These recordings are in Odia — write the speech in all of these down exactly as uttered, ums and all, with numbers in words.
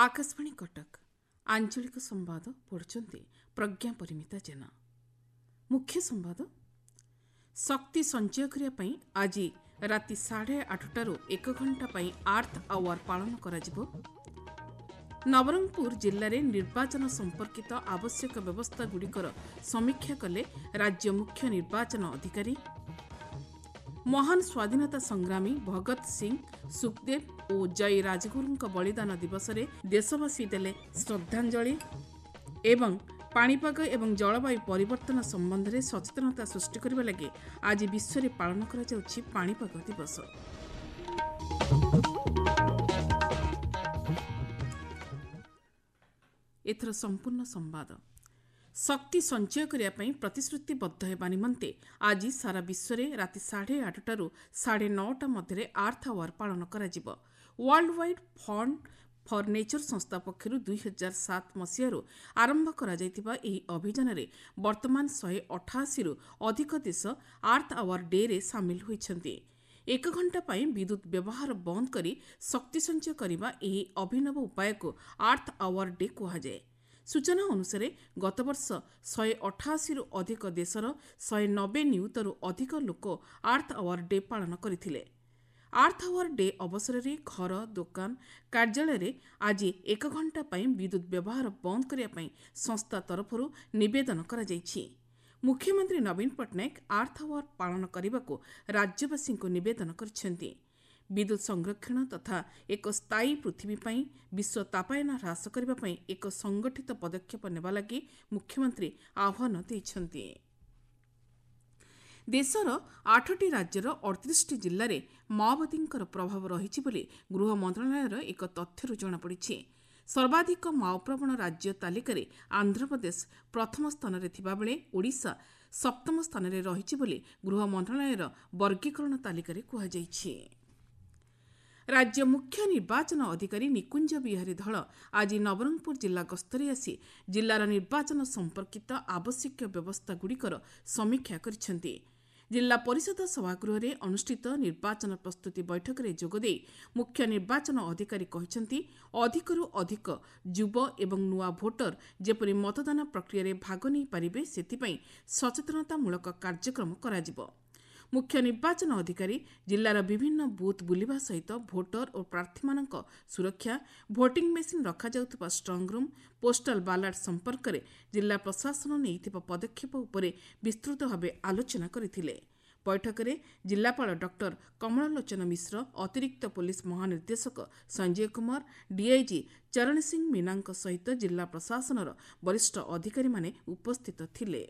ଆକାଶବାଣୀ କଟକ ଆଞ୍ଚଳିକ ସମ୍ବାଦ ପଢୁଛନ୍ତି ପ୍ରଜ୍ଞା ପରିମିତା ଜେନା ମୁଖ୍ୟ ସମ୍ବାଦ ଶକ୍ତି ସଞ୍ଚୟ କରିବା ପାଇଁ ଆଜି ରାତି ସାଢ଼େ ଆଠଟାରୁ ଏକ ଘଣ୍ଟା ପାଇଁ ଆର୍ଥ ଆୱାର ପାଳନ କରାଯିବ ନବରଙ୍ଗପୁର ଜିଲ୍ଲାରେ ନିର୍ବାଚନ ସମ୍ପର୍କିତ ଆବଶ୍ୟକ ବ୍ୟବସ୍ଥାଗୁଡ଼ିକର ସମୀକ୍ଷା କଲେ ରାଜ୍ୟ ମୁଖ୍ୟ ନିର୍ବାଚନ ଅଧିକାରୀ ମହାନ ସ୍ୱାଧୀନତା ସଂଗ୍ରାମୀ ଭଗତ ସିଂ ସୁଖଦେବ ଓ ଜୟ ରାଜଗୁରୁଙ୍କ ବଳିଦାନ ଦିବସରେ ଦେଶବାସୀ ଦେଲେ ଶ୍ରଦ୍ଧାଞ୍ଜଳି ଏବଂ ପାଣିପାଗ ଏବଂ ଜଳବାୟୁ ପରିବର୍ତ୍ତନ ସମ୍ବନ୍ଧରେ ସଚେତନତା ସୃଷ୍ଟି କରିବା ଲାଗି ଆଜି ବିଶ୍ୱରେ ପାଳନ କରାଯାଉଛି ପାଣିପାଗ ଦିବସ ଏଥର ସମ୍ପୂର୍ଣ୍ଣ ସମ୍ବାଦ ଶକ୍ତି ସଞ୍ଚୟ କରିବା ପାଇଁ ପ୍ରତିଶ୍ରୁତିବଦ୍ଧ ହେବା ନିମନ୍ତେ ଆଜି ସାରା ବିଶ୍ୱରେ ରାତି ସାଢ଼େ ଆଠଟାରୁ ସାଢ଼େ ନଅଟା ମଧ୍ୟରେ ଆର୍ଥ ଆୱାର ପାଳନ କରାଯିବ World Wide Fund for Nature ସଂସ୍ଥା ପକ୍ଷରୁ ଦୁଇ ହଜାର ସାତ ମସିହାରୁ ଆରମ୍ଭ କରାଯାଇଥିବା ଏହି ଅଭିଯାନରେ ବର୍ତ୍ତମାନ ଶହେ ଅଠାଅଶୀରୁ ଅଧିକ ଦେଶ ଆର୍ଥ ଆୱାର ଡେରେ ସାମିଲ ହୋଇଛନ୍ତି ଏକ ଘଣ୍ଟା ପାଇଁ ବିଦ୍ୟୁତ୍ ବ୍ୟବହାର ବନ୍ଦ କରି ଶକ୍ତି ସଞ୍ଚୟ କରିବା ଏହି ଅଭିନବ ଉପାୟକୁ ଆର୍ଥ ଆୱାର ଡେ କୁହାଯାଏ ସୂଚନା ଅନୁସାରେ ଗତବର୍ଷ ଶହେ ଅଠାଅଶୀରୁ ଅଧିକ ଦେଶର ଶହେ ନବେ ନିୟୁତରୁ ଅଧିକ ଲୋକ ଆର୍ଥ ଆୱାର ଡେ ପାଳନ କରିଥିଲେ ଆର୍ଥ ଆୱାର ଡେ ଅବସରରେ ଘର ଦୋକାନ କାର୍ଯ୍ୟାଳୟରେ ଆଜି ଏକ ଘଣ୍ଟା ପାଇଁ ବିଦ୍ୟୁତ୍ ବ୍ୟବହାର ବନ୍ଦ କରିବା ପାଇଁ ସଂସ୍ଥା ତରଫରୁ ନିବେଦନ କରାଯାଇଛି ମୁଖ୍ୟମନ୍ତ୍ରୀ ନବୀନ ପଟ୍ଟନାୟକ ଆର୍ଥ ଆୱାର ପାଳନ କରିବାକୁ ରାଜ୍ୟବାସୀଙ୍କୁ ନିବେଦନ କରିଛନ୍ତି ବିଦ୍ୟୁତ୍ ସଂରକ୍ଷଣ ତଥା ଏକ ସ୍ଥାୟୀ ପୃଥିବୀ ପାଇଁ ବିଶ୍ୱ ତାପାୟନ ହ୍ରାସ କରିବା ପାଇଁ ଏକ ସଂଗଠିତ ପଦକ୍ଷେପ ନେବା ଲାଗି ମୁଖ୍ୟମନ୍ତ୍ରୀ ଆହ୍ୱାନ ଦେଇଛନ୍ତି ଦେଶର ଆଠଟି ରାଜ୍ୟର ଅଠତିରିଶଟି ଜିଲ୍ଲାରେ ମାଓବାଦୀଙ୍କର ପ୍ରଭାବ ରହିଛି ବୋଲି ଗୃହ ମନ୍ତ୍ରଣାଳୟର ଏକ ତଥ୍ୟରୁ ଜଣାପଡ଼ିଛି ସର୍ବାଧିକ ମାଓପ୍ରବଣ ରାଜ୍ୟ ତାଲିକାରେ ଆନ୍ଧ୍ରପ୍ରଦେଶ ପ୍ରଥମ ସ୍ଥାନରେ ଥିବାବେଳେ ଓଡ଼ିଶା ସପ୍ତମ ସ୍ଥାନରେ ରହିଛି ବୋଲି ଗୃହ ମନ୍ତ୍ରଣାଳୟର ବର୍ଗୀକରଣ ତାଲିକାରେ କୁହାଯାଇଛି ରାଜ୍ୟ ମୁଖ୍ୟ ନିର୍ବାଚନ ଅଧିକାରୀ ନିକୁଞ୍ଜ ବିହାରୀ ଧଳ ଆଜି ନବରଙ୍ଗପୁର ଜିଲ୍ଲା ଗସ୍ତରେ ଆସି ଜିଲ୍ଲାର ନିର୍ବାଚନ ସମ୍ପର୍କିତ ଆବଶ୍ୟକୀୟ ବ୍ୟବସ୍ଥାଗୁଡ଼ିକର ସମୀକ୍ଷା କରିଛନ୍ତି ଜିଲ୍ଲା ପରିଷଦ ସଭାଗୃହରେ ଅନୁଷ୍ଠିତ ନିର୍ବାଚନ ପ୍ରସ୍ତୁତି ବୈଠକରେ ଯୋଗଦେଇ ମୁଖ୍ୟ ନିର୍ବାଚନ ଅଧିକାରୀ କହିଛନ୍ତି ଅଧିକରୁ ଅଧିକ ଯୁବ ଏବଂ ନୂଆ ଭୋଟର ଯେପରି ମତଦାନ ପ୍ରକ୍ରିୟାରେ ଭାଗ ନେଇପାରିବେ ସେଥିପାଇଁ ସଚେତନତାମୂଳକ କାର୍ଯ୍ୟକ୍ରମ କରାଯିବ ମୁଖ୍ୟ ନିର୍ବାଚନ ଅଧିକାରୀ ଜିଲ୍ଲାର ବିଭିନ୍ନ ବୁଥ୍ ବୁଲିବା ସହିତ ଭୋଟର ଓ ପ୍ରାର୍ଥୀମାନଙ୍କ ସୁରକ୍ଷା ଭୋଟିଂ ମେସିନ୍ ରଖାଯାଉଥିବା ଷ୍ଟ୍ରଙ୍ଗରୁମ୍ ପୋଷ୍ଟାଲ ବାଲାଟ ସମ୍ପର୍କରେ ଜିଲ୍ଲା ପ୍ରଶାସନ ନେଇଥିବା ପଦକ୍ଷେପ ଉପରେ ବିସ୍ତୃତ ଭାବେ ଆଲୋଚନା କରିଥିଲେ ବୈଠକରେ ଜିଲ୍ଲାପାଳ ଡକ୍ଟର କମଳଲୋଚନ ମିଶ୍ର ଅତିରିକ୍ତ ପୋଲିସ ମହାନିର୍ଦ୍ଦେଶକ ସଞ୍ଜୟ କୁମାର ଡିଆଇଜି ଚରଣ ସିଂ ମୀନାଙ୍କ ସହିତ ଜିଲ୍ଲା ପ୍ରଶାସନର ବରିଷ୍ଠ ଅଧିକାରୀମାନେ ଉପସ୍ଥିତ ଥିଲେ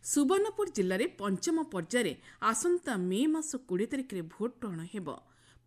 ସୁବର୍ଣ୍ଣପୁର ଜିଲ୍ଲାରେ ପଞ୍ଚମ ପର୍ଯ୍ୟାୟରେ ଆସନ୍ତା ମେ ମାସ କୋଡ଼ିଏ ତାରିଖରେ ଭୋଟ ଗ୍ରହଣ ହେବ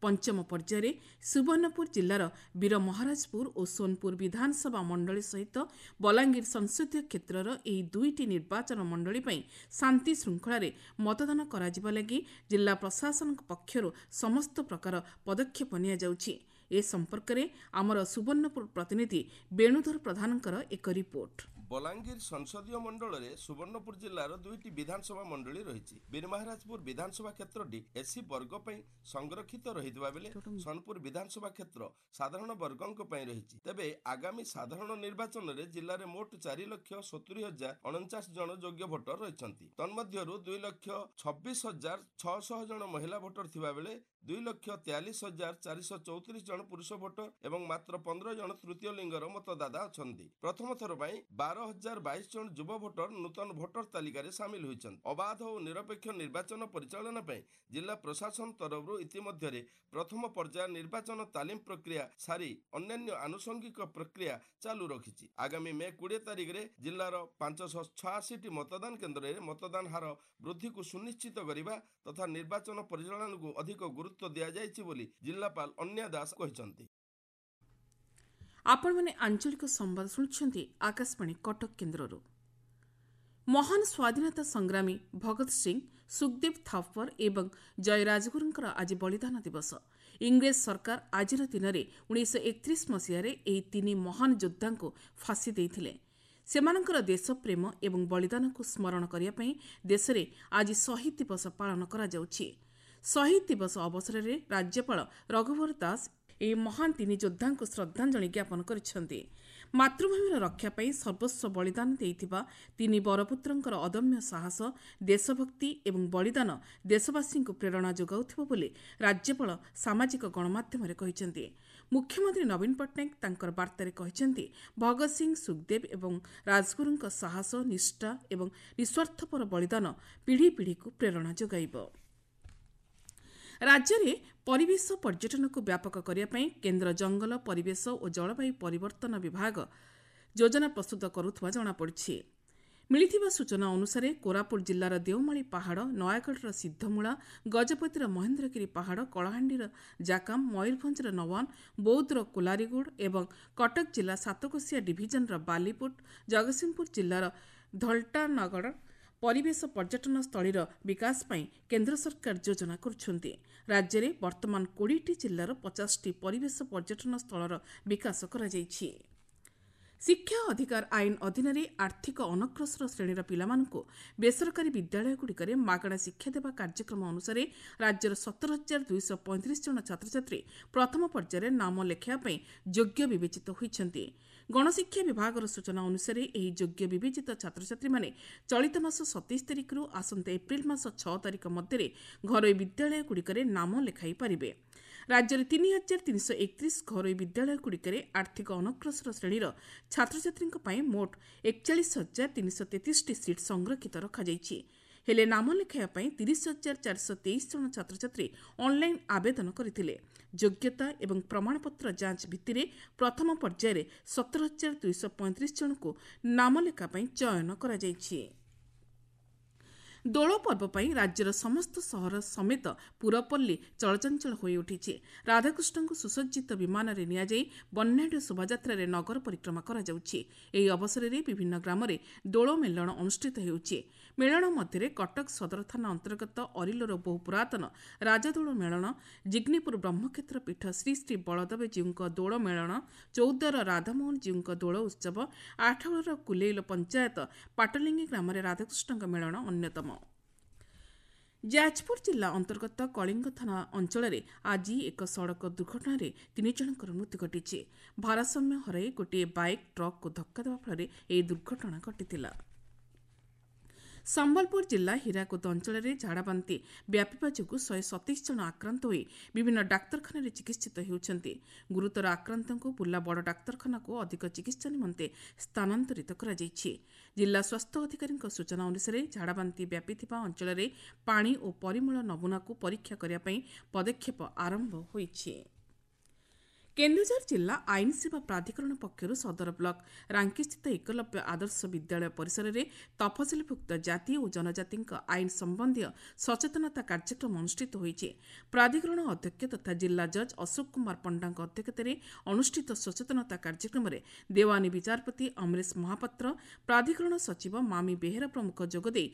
ପଞ୍ଚମ ପର୍ଯ୍ୟାୟରେ ସୁବର୍ଣ୍ଣପୁର ଜିଲ୍ଲାର ବୀରମହାରାଜପୁର ଓ ସୋନପୁର ବିଧାନସଭା ମଣ୍ଡଳୀ ସହିତ ବଲାଙ୍ଗୀର ସଂସଦୀୟ କ୍ଷେତ୍ରର ଏହି ଦୁଇଟି ନିର୍ବାଚନ ମଣ୍ଡଳୀ ପାଇଁ ଶାନ୍ତି ଶୃଙ୍ଖଳାରେ ମତଦାନ କରାଯିବା ଲାଗି ଜିଲ୍ଲା ପ୍ରଶାସନଙ୍କ ପକ୍ଷରୁ ସମସ୍ତ ପ୍ରକାର ପଦକ୍ଷେପ ନିଆଯାଉଛି ଏ ସମ୍ପର୍କରେ ଆମର ସୁବର୍ଣ୍ଣପୁର ପ୍ରତିନିଧି ବେଣୁଧର ପ୍ରଧାନଙ୍କର ଏକ ରିପୋର୍ଟ ବଲାଙ୍ଗୀର ସଂସଦୀୟ ମଣ୍ଡଳରେ ସୁବର୍ଣ୍ଣପୁର ଜିଲ୍ଲାର ଦୁଇଟି ବିଧାନସଭା ମଣ୍ଡଳୀ ରହିଛି ବୀରମହାରାଜପୁର ବିଧାନସଭା କ୍ଷେତ୍ରଟି ଏସ୍ସି ବର୍ଗ ପାଇଁ ସଂରକ୍ଷିତ ରହିଥିବା ବେଳେ ସୋନପୁର ବିଧାନସଭା କ୍ଷେତ୍ର ସାଧାରଣ ବର୍ଗଙ୍କ ପାଇଁ ରହିଛି ତେବେ ଆଗାମୀ ସାଧାରଣ ନିର୍ବାଚନରେ ଜିଲ୍ଲାରେ ମୋଟ ଚାରି ଲକ୍ଷ ସତୁରି ହଜାର ଅଣଚାଶ ଜଣ ଯୋଗ୍ୟ ଭୋଟର ରହିଛନ୍ତି ତନ୍ମଧ୍ୟରୁ ଦୁଇ ଲକ୍ଷ ଛବିଶ ହଜାର ଛଅଶହ ଜଣ ମହିଳା ଭୋଟର ଥିବାବେଳେ ଦୁଇ ଲକ୍ଷ ତେୟାଳିଶ ହଜାର ଚାରିଶହ ଚଉତିରିଶ ଜଣ ପୁରୁଷ ଭୋଟର ଏବଂ ମାତ୍ର ପନ୍ଦର ଜଣ ତୃତୀୟ ଲିଙ୍ଗର ମତଦାତା ଅଛନ୍ତି ପ୍ରଥମ ଥର ପାଇଁ ବାର ହଜାର ବାଇଶ ଜଣ ଯୁବ ଭୋଟର ନୂତନ ଭୋଟର ତାଲିକାରେ ସାମିଲ ହୋଇଛନ୍ତି ଅବାଧ ଓ ନିରପେକ୍ଷ ନିର୍ବାଚନ ପରିଚାଳନା ପାଇଁ ଜିଲ୍ଲା ପ୍ରଶାସନ ତରଫରୁ ଇତିମଧ୍ୟରେ ପ୍ରଥମ ପର୍ଯ୍ୟାୟ ନିର୍ବାଚନ ତାଲିମ ପ୍ରକ୍ରିୟା ସାରି ଅନ୍ୟାନ୍ୟ ଆନୁଷଙ୍ଗିକ ପ୍ରକ୍ରିୟା ଚାଲୁ ରଖିଛି ଆଗାମୀ ମେ କୋଡ଼ିଏ ତାରିଖରେ ଜିଲ୍ଲାର ପାଞ୍ଚଶହ ଛୟାଅଶୀଟି ମତଦାନ କେନ୍ଦ୍ରରେ ମତଦାନ ହାର ବୃଦ୍ଧିକୁ ସୁନିଶ୍ଚିତ କରିବା ତଥା ନିର୍ବାଚନ ପରିଚାଳନାକୁ ଅଧିକ ଗୁରୁତ୍ୱ ଦିଆଯାଇଛି ବୋଲି ଜିଲ୍ଲାପାଳ ଅନ୍ୟା ଦାସ କହିଛନ୍ତି ଆପଣମାନେ ଆଞ୍ଚଳିକ ସମ୍ବାଦ ଶୁଣୁଛନ୍ତି ଆକାଶବାଣୀ କଟକ କେନ୍ଦ୍ରରୁ ମହାନ ସ୍ୱାଧୀନତା ସଂଗ୍ରାମୀ ଭଗତ ସିଂ ସୁଖଦେବ ଥାପର ଏବଂ ଜୟ ରାଜଗୁରୁଙ୍କର ଆଜି ବଳିଦାନ ଦିବସ ଇଂରେଜ ସରକାର ଆଜିର ଦିନରେ ଉଣେଇଶହ ଏକତିରିଶ ମସିହାରେ ଏହି ତିନି ମହାନ ଯୋଦ୍ଧାଙ୍କୁ ଫାଶୀ ଦେଇଥିଲେ ସେମାନଙ୍କର ଦେଶପ୍ରେମ ଏବଂ ବଳିଦାନକୁ ସ୍ମରଣ କରିବା ପାଇଁ ଦେଶରେ ଆଜି ଶହୀଦ ଦିବସ ପାଳନ କରାଯାଉଛି ଶହୀଦ ଦିବସ ଅବସରରେ ରାଜ୍ୟପାଳ ରଘୁବର ଦାସ ଏହି ମହାନ ତିନି ଯୋଦ୍ଧାଙ୍କୁ ଶ୍ରଦ୍ଧାଞ୍ଜଳି ଜ୍ଞାପନ କରିଛନ୍ତି। ମାତୃଭୂମିର ରକ୍ଷା ପାଇଁ ସର୍ବସ୍ୱ ବଳିଦାନ ଦେଇଥିବା ତିନି ବରପୁତ୍ରଙ୍କର ଅଦମ୍ୟ ସାହସ, ଦେଶଭକ୍ତି ଏବଂ ବଳିଦାନ ଦେଶବାସୀଙ୍କୁ ପ୍ରେରଣା ଯୋଗାଉଥିବ ବୋଲି ରାଜ୍ୟପାଳ ସାମାଜିକ ଗଣମାଧ୍ୟମରେ କହିଛନ୍ତି। ମୁଖ୍ୟମନ୍ତ୍ରୀ ନବୀନ ପଟ୍ଟନାୟକ ତାଙ୍କର ବାର୍ତ୍ତାରେ କହିଛନ୍ତି, ଭଗତ ସିଂ, ସୁଖଦେବ ଏବଂ ରାଜଗୁରୁଙ୍କ ସାହସ, ନିଷ୍ଠା ଏବଂ ନିଃସ୍ୱାର୍ଥପର ବଳିଦାନ ପିଢ଼ି ପିଢ଼ିକୁ ପ୍ରେରଣା ଯୋଗାଇବ। ରାଜ୍ୟରେ ପରିବେଶ ପର୍ଯ୍ୟଟନକୁ ବ୍ୟାପକ କରିବା ପାଇଁ କେନ୍ଦ୍ର ଜଙ୍ଗଲ, ପରିବେଶ ଓ ଜଳବାୟୁ ପରିବର୍ତ୍ତନ ବିଭାଗ ଯୋଜନା ପ୍ରସ୍ତୁତ କରୁଥିବା ଜଣାପଡ଼ିଛି। ମିଳିଥିବା ସୂଚନା ଅନୁସାରେ କୋରାପୁଟ ଜିଲ୍ଲାର ଦେଓମାଳି ପାହାଡ଼, ନୟାଗଡ଼ର ସିଦ୍ଧମୂଳା, ଗଜପତିର ମହେନ୍ଦ୍ରଗିରି ପାହାଡ଼, କଳାହାଣ୍ଡିର ଜାକାମ, ମୟୂରଭଞ୍ଜର ନୱାନ, ବୌଦ୍ଧର କୋଲାରିଗୁଡ଼ ଏବଂ କଟକ ଜିଲ୍ଲା ସାତକୋଶିଆ ଡିଭିଜନର ବାଲିପୁଟ, ଜଗତସିଂହପୁର ଜିଲ୍ଲାର ଧଲଟାନଗଡ଼ ପରିବେଶ ପର୍ଯ୍ୟଟନ ସ୍ଥଳୀର ବିକାଶ ପାଇଁ କେନ୍ଦ୍ର ସରକାର ଯୋଜନା କରୁଛନ୍ତି। ରାଜ୍ୟରେ ବର୍ତ୍ତମାନ କୋଡ଼ିଏଟି ଜିଲ୍ଲାର ପଚାଶଟି ପରିବେଶ ପର୍ଯ୍ୟଟନ ସ୍ଥଳର ବିକାଶ କରାଯାଇଛି। ଶିକ୍ଷା ଅଧିକାର ଆଇନ ଅଧୀନରେ ଆର୍ଥିକ ଅନଗ୍ରସର ଶ୍ରେଣୀର ପିଲାମାନଙ୍କୁ ବେସରକାରୀ ବିଦ୍ୟାଳୟଗୁଡ଼ିକରେ ମାଗଣା ଶିକ୍ଷା ଦେବା କାର୍ଯ୍ୟକ୍ରମ ଅନୁସାରେ ରାଜ୍ୟର ସତର ହଜାର ଦୁଇଶହ ପଇଁତିରିଶ ଜଣ ଛାତ୍ରଛାତ୍ରୀ ପ୍ରଥମ ପର୍ଯ୍ୟାୟରେ ନାମ ଲେଖାଇବା ପାଇଁ ଯୋଗ୍ୟ ବିବେଚିତ ହୋଇଛନ୍ତି। ଗଣଶିକ୍ଷା ବିଭାଗର ସୂଚନା ଅନୁସାରେ ଏହି ଯୋଗ୍ୟ ବିବେଚିତ ଛାତ୍ରଛାତ୍ରୀମାନେ ଚଳିତ ମାସ ସତେଇଶ ତାରିଖରୁ ଆସନ୍ତା ଏପ୍ରିଲ ମାସ ଛଅ ତାରିଖ ମଧ୍ୟରେ ଘରୋଇ ବିଦ୍ୟାଳୟଗୁଡ଼ିକରେ ନାମ ଲେଖାଇ ପାରିବେ। ରାଜ୍ୟରେ ତିନି ହଜାର ତିନିଶହ ଏକତିରିଶ ଘରୋଇ ବିଦ୍ୟାଳୟଗୁଡ଼ିକରେ ଆର୍ଥିକ ଅନଗ୍ରସର ଶ୍ରେଣୀର ଛାତ୍ରଛାତ୍ରୀଙ୍କ ପାଇଁ ମୋଟ ଏକଚାଳିଶ ହଜାର ତିନିଶହ ତେତିଶଟି ସିଟ୍ ସଂରକ୍ଷିତ ରଖାଯାଇଛି। ହେଲେ ନାମ ଲେଖାଇବା ପାଇଁ ତିରିଶ ହଜାର ଚାରିଶହ ତେଇଶ ଜଣ ଛାତ୍ରଛାତ୍ରୀ ଅନ୍ଲାଇନ୍ ଆବେଦନ କରିଥିଲେ। ଯୋଗ୍ୟତା ଏବଂ ପ୍ରମାଣପତ୍ର ଯାଞ୍ଚ ଭିତ୍ତିରେ ପ୍ରଥମ ପର୍ଯ୍ୟାୟରେ ସତର ହଜାର ଦୁଇଶହ ପଇଁତିରିଶ ଜଣଙ୍କୁ ନାମଲେଖା ପାଇଁ ଚୟନ କରାଯାଇଛି। ଦୋଳ ପର୍ବ ପାଇଁ ରାଜ୍ୟର ସମସ୍ତ ସହର ସମେତ ପୁରପଲ୍ଲୀ ଚଳଚଞ୍ଚଳ ହୋଇଉଠିଛି। ରାଧାକୃଷ୍ଣଙ୍କୁ ସୁସଜ୍ଜିତ ବିମାନରେ ନିଆଯାଇ ବର୍ଣ୍ଣାଢ୍ୟ ଶୋଭାଯାତ୍ରାରେ ନଗର ପରିକ୍ରମା କରାଯାଉଛି। ଏହି ଅବସରରେ ବିଭିନ୍ନ ଗ୍ରାମରେ ଦୋଳ ମେଳଣ ଅନୁଷ୍ଠିତ ହେଉଛି। ମେଳଣ ମଧ୍ୟରେ କଟକ ସଦର ଥାନା ଅନ୍ତର୍ଗତ ଅରିଲୋର ବହୁ ପୁରାତନ ରାଜଦୋଳ ମେଳଣ, ଜିଗ୍ନିପୁର ବ୍ରହ୍ମକ୍ଷେତ୍ର ପୀଠ ଶ୍ରୀ ଶ୍ରୀ ବଳଦେବଜୀଉଙ୍କ ଦୋଳ ମେଳଣ, ଚୌଦ୍ୱାର ରାଧାମୋହନ ଜୀଉଙ୍କ ଦୋଳ ଉତ୍ସବ, ଆଠଗଡ଼ର କୁଲେଇଲ ପଞ୍ଚାୟତ ପାଟଲିଙ୍ଗି ଗ୍ରାମରେ ରାଧାକୃଷ୍ଣଙ୍କ ମେଳଣ ଅନ୍ୟତମ। ଯାଜପୁର ଜିଲ୍ଲା ଅନ୍ତର୍ଗତ କଳିଙ୍ଗ ଥାନା ଅଞ୍ଚଳରେ ଆଜି ଏକ ସଡ଼କ ଦୁର୍ଘଟଣାରେ ତିନି ଜଣଙ୍କର ମୃତ୍ୟୁ ଘଟିଛି। ଭାରସାମ୍ୟ ହରାଇ ଗୋଟିଏ ବାଇକ୍ ଟ୍ରକ୍କୁ ଧକ୍କା ଦେବା ଫଳରେ ଏହି ଦୁର୍ଘଟଣା ଘଟିଥିଲା। ସମ୍ବଲପୁର ଜିଲ୍ଲା ହୀରାକୁଦ ଅଞ୍ଚଳରେ ଝାଡ଼ାବାନ୍ତି ବ୍ୟାପିବା ଯୋଗୁଁ ଶହେ ସତେଇଶ ଜଣ ଆକ୍ରାନ୍ତ ହୋଇ ବିଭିନ୍ନ ଡାକ୍ତରଖାନାରେ ଚିକିତ୍ସିତ ହେଉଛନ୍ତି। ଗୁରୁତର ଆକ୍ରାନ୍ତଙ୍କୁ ବୁର୍ଲା ବଡ଼ ଡାକ୍ତରଖାନାକୁ ଅଧିକ ଚିକିତ୍ସା ନିମନ୍ତେ ସ୍ଥାନାନ୍ତରିତ କରାଯାଇଛି। ଜିଲ୍ଲା ସ୍ୱାସ୍ଥ୍ୟ ଅଧିକାରୀଙ୍କ ସୂଚନା ଅନୁସାରେ ଝାଡ଼ାବାନ୍ତି ବ୍ୟାପିଥିବା ଅଞ୍ଚଳରେ ପାଣି ଓ ପରିମଳ ନମୁନାକୁ ପରୀକ୍ଷା କରିବା ପାଇଁ ପଦକ୍ଷେପ ଆରମ୍ଭ ହୋଇଛି। କେନ୍ଦୁଝର ଜିଲ୍ଲା ଆଇନ ସେବା ପ୍ରାଧିକରଣ ପକ୍ଷରୁ ସଦର ବ୍ଲକ ରାଙ୍କିସ୍ଥିତ ଏକଲବ୍ୟ ଆଦର୍ଶ ବିଦ୍ୟାଳୟ ପରିସରରେ ତଫସିଲଭୁକ୍ତ ଜାତି ଓ ଜନଜାତିଙ୍କ ଆଇନ ସମ୍ବନ୍ଧୀୟ ସଚେତନତା କାର୍ଯ୍ୟକ୍ରମ ଅନୁଷ୍ଠିତ ହୋଇଛି। ପ୍ରାଧିକରଣ ଅଧ୍ୟକ୍ଷ ତଥା ଜିଲ୍ଲା ଜଜ୍ ଅଶୋକ କୁମାର ପଣ୍ଡାଙ୍କ ଅଧ୍ୟକ୍ଷତାରେ ଅନୁଷ୍ଠିତ ସଚେତନତା କାର୍ଯ୍ୟକ୍ରମରେ ଦେୱାନୀ ବିଚାରପତି ଅମରେଶ ମହାପାତ୍ର, ପ୍ରାଧିକରଣ ସଚିବ ମାମି ବେହେରା ପ୍ରମୁଖ ଯୋଗଦେଇ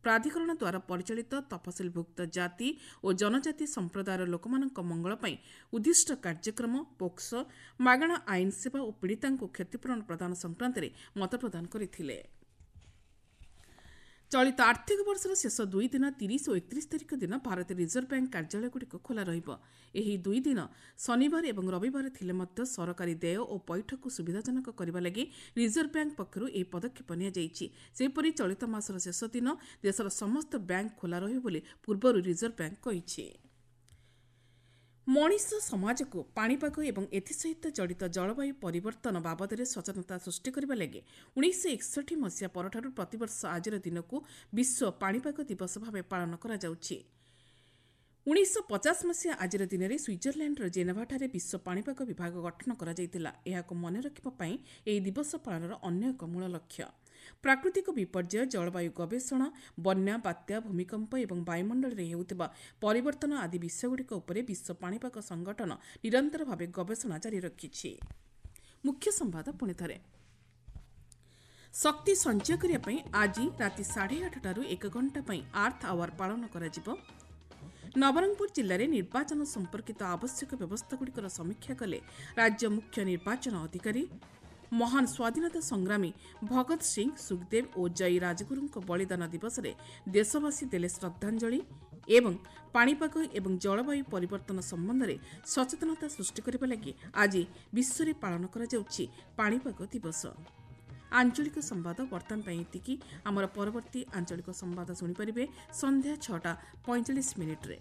ପ୍ରାଧିକରଣ ଦ୍ୱାରା ପରିଚାଳିତ ତଫସିଲଭୁକ୍ତ ଜାତି ଓ ଜନଜାତି ସମ୍ପ୍ରଦାୟର ଲୋକମାନଙ୍କ ମଙ୍ଗଳ ପାଇଁ ଉଦ୍ଦିଷ୍ଟ କାର୍ଯ୍ୟକ୍ରମ, ପୋକ୍ସୋ, ମାଗଣା ଆଇନ ସେବା ଓ ପୀଡ଼ିତାଙ୍କୁ କ୍ଷତିପୂରଣ ପ୍ରଦାନ ସଂକ୍ରାନ୍ତରେ ମତ ପ୍ରଦାନ କରିଥିଲେ। ଚଳିତ ଆର୍ଥିକ ବର୍ଷର ଶେଷ ଦୁଇ ଦିନ ତିରିଶ ଓ ଏକତିରିଶ ତାରିଖ ଦିନ ଭାରତୀୟ ରିଜର୍ଭ ବ୍ୟାଙ୍କ କାର୍ଯ୍ୟାଳୟଗୁଡ଼ିକ ଖୋଲା ରହିବ। ଏହି ଦୁଇ ଦିନ ଶନିବାର ଏବଂ ରବିବାର ଥିଲେ ମଧ୍ୟ ସରକାରୀ ଦେୟ ଓ ପଇଠକୁ ସୁବିଧାଜନକ କରିବା ଲାଗି ରିଜର୍ଭ ବ୍ୟାଙ୍କ ପକ୍ଷରୁ ଏହି ପଦକ୍ଷେପ ନିଆଯାଇଛି। ସେହିପରି ଚଳିତ ମାସର ଶେଷ ଦିନ ଦେଶର ସମସ୍ତ ବ୍ୟାଙ୍କ ଖୋଲା ରହିବ ବୋଲି ପୂର୍ବରୁ ରିଜର୍ଭ ବ୍ୟାଙ୍କ କହିଛି। ମଣିଷ ସମାଜକୁ ପାଣିପାଗ ଏବଂ ଏଥିସହିତ ଜଡ଼ିତ ଜଳବାୟୁ ପରିବର୍ତ୍ତନ ବାବଦରେ ସଚେତନତା ସୃଷ୍ଟି କରିବା ଲାଗି ଉଣେଇଶହ ଏକଷଠି ମସିହା ପରଠାରୁ ପ୍ରତିବର୍ଷ ଆଜିର ଦିନକୁ ବିଶ୍ୱ ପାଣିପାଗ ଦିବସ ଭାବେ ପାଳନ କରାଯାଉଛି। ଉଣେଇଶହ ପଚାଶ ମସିହା ଆଜିର ଦିନରେ ସୁଇଜରଲ୍ୟାଣ୍ଡର ଜେନେଭାଠାରେ ବିଶ୍ୱ ପାଣିପାଗ ବିଭାଗ ଗଠନ କରାଯାଇଥିଲା। ଏହାକୁ ମନେ ରଖିବା ପାଇଁ ଏହି ଦିବସ ପାଳନର ଅନ୍ୟ ଏକ ମୂଳ ଲକ୍ଷ୍ୟ। ପ୍ରାକୃତିକ ବିପର୍ଯ୍ୟୟ, ଜଳବାୟୁ ଗବେଷଣା, ବନ୍ୟା, ବାତ୍ୟା, ଭୂମିକମ୍ପ ଏବଂ ବାୟୁମଣ୍ଡଳରେ ହେଉଥିବା ପରିବର୍ତ୍ତନ ଆଦି ବିଷୟଗୁଡ଼ିକ ଉପରେ ବିଶ୍ୱ ପାଣିପାଗ ସଂଗଠନ ନିରନ୍ତର ଭାବେ ଗବେଷଣା ଜାରି ରଖିଛି। ମୁଖ୍ୟ ସମ୍ବାଦ ପୁଣି ଥରେ। ଶକ୍ତି ସଞ୍ଚୟ କରିବା ପାଇଁ ଆଜି ରାତି ସାଢ଼େ ଆଠଟାରୁ ଏକ ଘଣ୍ଟା ପାଇଁ ଆର୍ଥ ଆୱାର ପାଳନ କରାଯିବ। ନବରଙ୍ଗପୁର ଜିଲ୍ଲାରେ ନିର୍ବାଚନ ସମ୍ପର୍କିତ ଆବଶ୍ୟକ ବ୍ୟବସ୍ଥାଗୁଡ଼ିକର ସମୀକ୍ଷା କଲେ ରାଜ୍ୟ ମୁଖ୍ୟ ନିର୍ବାଚନ ଅଧିକାରୀ। ମହାନ ସ୍ୱାଧୀନତା ସଂଗ୍ରାମୀ ଭଗତ ସିଂ, ସୁଖଦେବ ଓ ଜୟୀ ରାଜଗୁରୁଙ୍କ ବଳିଦାନ ଦିବସରେ ଦେଶବାସୀ ଦେଲେ ଶ୍ରଦ୍ଧାଞ୍ଜଳି। ଏବଂ ପାଣିପାଗ ଏବଂ ଜଳବାୟୁ ପରିବର୍ତ୍ତନ ସମ୍ବନ୍ଧରେ ସଚେତନତା ସୃଷ୍ଟି କରିବା ଲାଗି ଆଜି ବିଶ୍ୱରେ ପାଳନ କରାଯାଉଛି ପାଣିପାଗ ଦିବସ। ଆଞ୍ଚଳିକ ସମ୍ବାଦ ବର୍ତ୍ତମାନ ପାଇଁ ଏତିକି। ଆମର ପରବର୍ତ୍ତୀ ଆଞ୍ଚଳିକ ସମ୍ବାଦ ଶୁଣିପାରିବେ ସନ୍ଧ୍ୟା ଛଅଟା ପଇଁଚାଳିଶ ମିନିଟ୍ରେ।